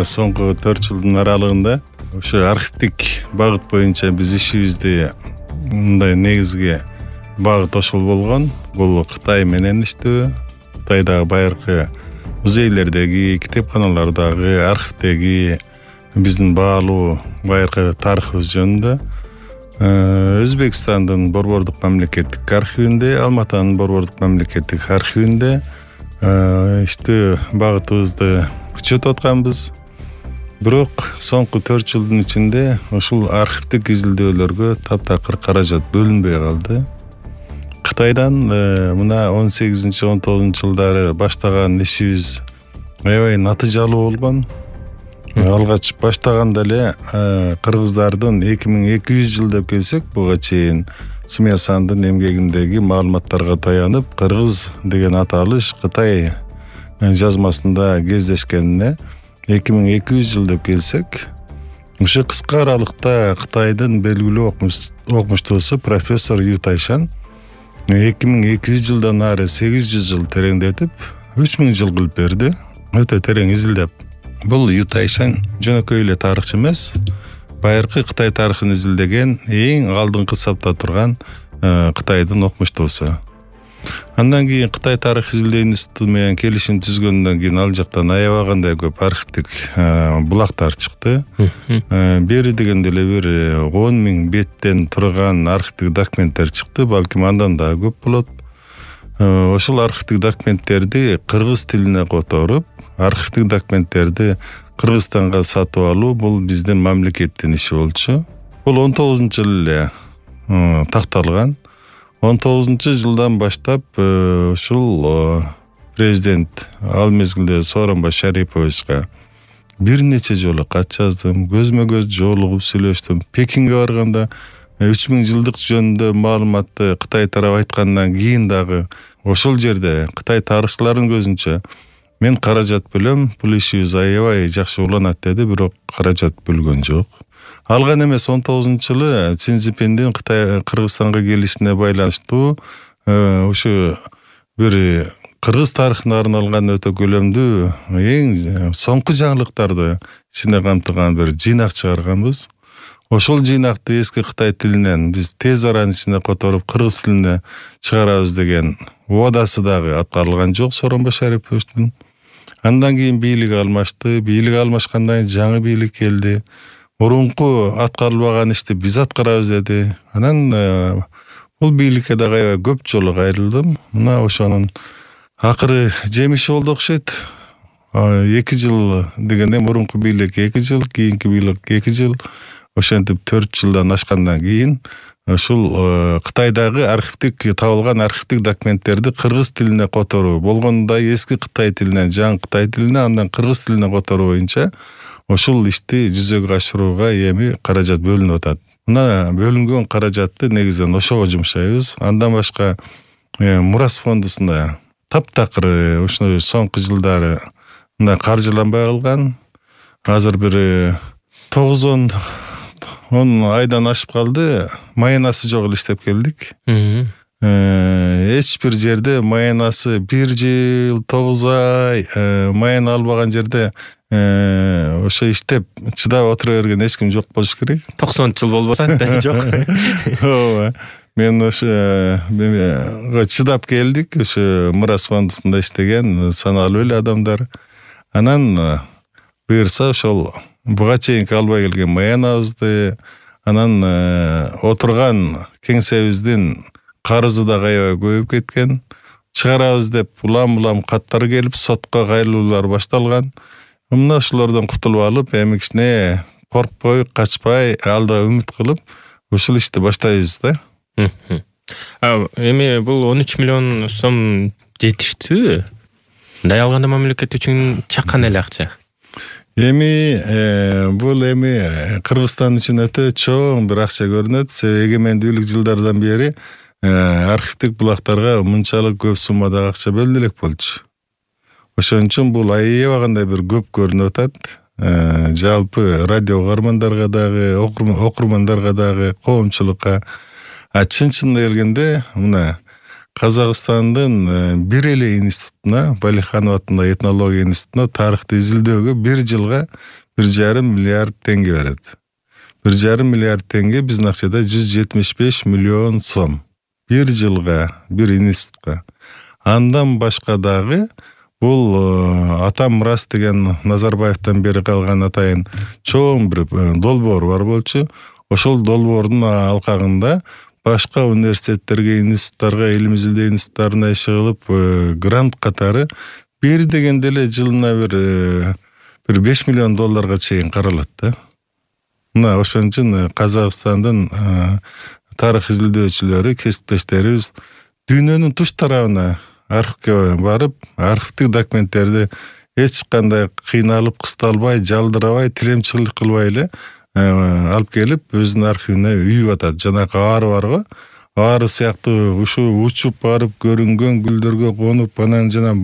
соңку 4 жылдын аралыгында ошо архивдик багыт боюнча биз ишибизди мындай негизги багыт ошол болгон. Бул Кытай менен иштөө. Кытайдагы байыркы музейлердеги, китепканалардагы, архивдеги биздин баалуу байыркы тарыхыбыз жөнүндө. Өзбекстандын Борбордук мамлекеттик архивинде, Алматанын Борбордук мамлекеттик архивинде иштөө багытыбызды күчөтүп атканбыз. Бирок соңку 4 жылдын ичинде ушул архивдик изилдөөлөргө таптакыр каражат бөлүнбөй калды. Кытайдан мына 18-19 жылдары баштаган ишибиз аябай натыйжалуу болгон. Алгач баштаганда эле кыргыздардын 2200 жыл деп келсек, буга чейин Смеясандын эмгегиндеги маалыматтарга таянып, кыргыз деген аталыш Кытай жазмасында кездешкенине 2200 жыл деп келсек, ушул кыска аралыкта Кытайдын белгилүү окумуштуусу профессор Ю Тайшан 2200 жылдан ары 800 жыл тереңдетип 3000 жыл кылып берди. Өтө терең изилдеп. Бул Ю Тайшан жөнөкөй эле тарыхчы эмес, байыркы Кытай тарыхын изилдеген эң алдыңкы сапта турган Кытайдын окумуштуусу. Андан кийин Кытай тарых изилдөө институту менен келишим түзгөндөн кийин ал жактан аябагандай көп архивдик булактар чыкты. Бери дегенде эле бир 10.000 беттен турган архивдик документтер чыкты, балким андан да көп болот. Ошол архивдик документтерди кыргыз тилине которуп, архивдик документтерди Кыргызстанга сатып алуу бул биздин мамлекеттин иши болчу. Бул 19-жылы эле такталган. 19 жылдан баштап ушул президент ал мезгилде Сооронбай Шариповичке бир нече жолу кат жаздым, көзмө-көз жолугуп сүйлөштүм. Пекинге барганда 3000 жылдык жөнүндө маалыматты Кытай тарабы айткандан кийин дагы ошол жерде Кытай тарыхчыларынын көзүнчө мен каражат бөлөм, бул ишибиз аябай жакшы уланат деди, бирок каражат бөлгөн жок. Алган эмес 19-жылы Си Цзиньпиндин Кыргызстанга келишине байланыштуу ушу бир кыргыз тарыхына арналган өтө көлөмдүү эң соңку жаңылыктарды ичине камтыган бир жыйнак чыгарганбыз. Ошол жыйнакты эски Кытай тилинен биз тез аранын ичине которуп кыргыз тилине чыгарабыз деген убадасы дагы аткарылган жок Сооронбай Шариповичтин. Андан кийин бийлик алмашты, бийлик алмашкандан кийин жаңы бийлик келди. Мурунку аткарылбаган ишти биз аткарабыз деди. Анан бул бийликке дагы көп жолу кайрылдым. Мына ошонун акыры жемиши болду окшойт. 2 жыл дегенде мурунку бийлик 2 жыл, кийинки бийлик 2 жыл. Ошентип 4 жылдан ашкандан кийин ушул Кытайдагы архивдик табылган архивдик документтерди кыргыз тилине которуу болгондой эски Кытай тилинен жаңы Кытай тилине, андан кыргыз тилине которуу боюнча ошол ишти жүзөгө ашырууга эми каражат бөлүнүп атат. Мына бөлүнгөн каражатты негизинен ошого жумшайбыз. Андан башка Мурас фондусунда таптакыр ушул соңку жылдары мына каржыланбай калган. Азыр бир 9-10 айдан ашып калды. Маянасы жок эле иштеп келдик. Эч бир жерде маянасы 1 жыл 9 ай маяна албаган жерде ошо иштеп чыдап отура берген эч ким жок болуш керек. 90 жыл болбосо да жок. Ооба. Мен ошо чыдап келдик. Ошо Мурас фондусунда иштеген саналуу эле адамдар. Анан буюрса ошол буга чейинки албай келген маянабызды, анан отурган кеңсебиздин карызы да аябай көбөйүп кеткен. Чыгарабыз деп улам каттар келип, сотко кайрылуулар башталган. Мына ошолордон кутулуп алып, эми кичине коркпой, качпай, алда үмүт кылып, ушул ишти баштайбыз да. Эми бул 13 миллион сом жетиштүүбү? Мындай алганда мамлекет үчүн чакан эле акча. Эми бул Кыргызстан үчүн өтө чоң бир акча көрүнөт. Себеби эгемендүүлүк жылдардан бери архивдик булактарга мынчалык көп суммадагы акча бөлүнө элек болчу. Ошон үчүн бул аябагандай бир көп көрүнүп атат. Жалпы радио угармандарга дагы, окурмандарга дагы, коомчулукка. Чын-чынында келгенде мына Казакстандын бир эле институтуна, Валиханов атындагы этнология институтуна тарыхты изилдөөгө 1 жылга 1,5 миллиард теңге берет. 1,5 миллиард теңге биздин акчада 175 миллион сом. 1 жылга бир институтка. Андан башка дагы бул Атам мурас деген Назарбаевтан бери калган атайын чоң бир долбоор бар болчу. Ошол долбоордун алкагында башка университеттерге, институттарга, илим изилдөө институттарына иши кылып, грант катары бир дегенде эле жылына бир 5 миллион долларга чейин каралат да. Мына ошон үчүн Казакстандын тарых изилдөөчүлөрү, кесиптештерибиз дүйнөнүн туш тарабына архивке барып, архивдик документтерди эч кандай кыйналып, кысталбай, жалдырабай, тилемчилик кылбай эле алып келип, өзүнүн архивине үйүп атат. Жанагы ары барго, ары сыяктуу ушу учуп барып, көрүнгөн гүлдөргө конуп, анан жана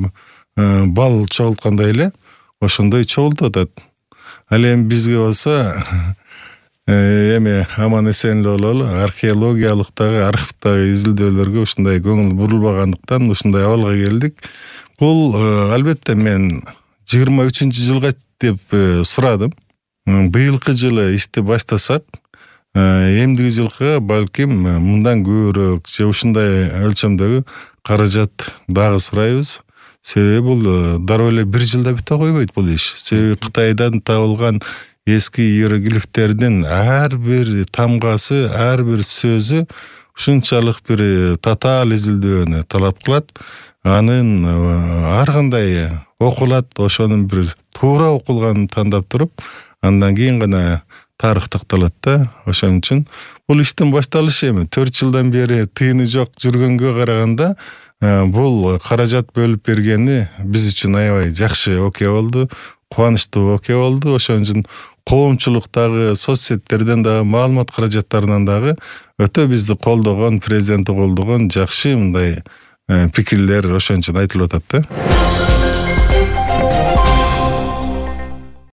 бал чогулткандай эле ошондой чогултуп атат. Ал эми бизге болсо эми аман эсен эле бололу, археологиялык дагы, архивдагы изилдөөлөргө ушундай көңүл бурулбагандыктан ушундай абалга келдик. Бул албетте мен 23-жылга деп сурадым. Быйылкы жылы ишти баштасак, эмдиги жылга балким мындан көбүрөөк же ушундай өлчөмдөгү каражат дагы сурайбыз. Себеби бул дароо эле 1 жылда бите койбойт бул иш. Себеби Кытайдан табылган эски иероглифтердин ар бир тамгасы, ар бир сөзү ушунчалык бир татаал изилдөөнү талап кылат. Анын ар кандай окулат, ошонун бир туура окулганын тандап туруп, андан кийин гана тарых такталат да. Ошон үчүн бул иштин башталышы эми 4 жылдан бери тыйыны жок жүргөнгө караганда бул каражат бөлүп бергени биз үчүн аябай жакшы окуя болду, кубанычтуу окуя болду. Ошон үчүн коомчулуктагы, соц сеттерден дагы, маалымат каражаттарынан дагы өтө бизди колдогон, президенти колдогон жакшы мындай пикирлер ошон үчүн айтылып атат да.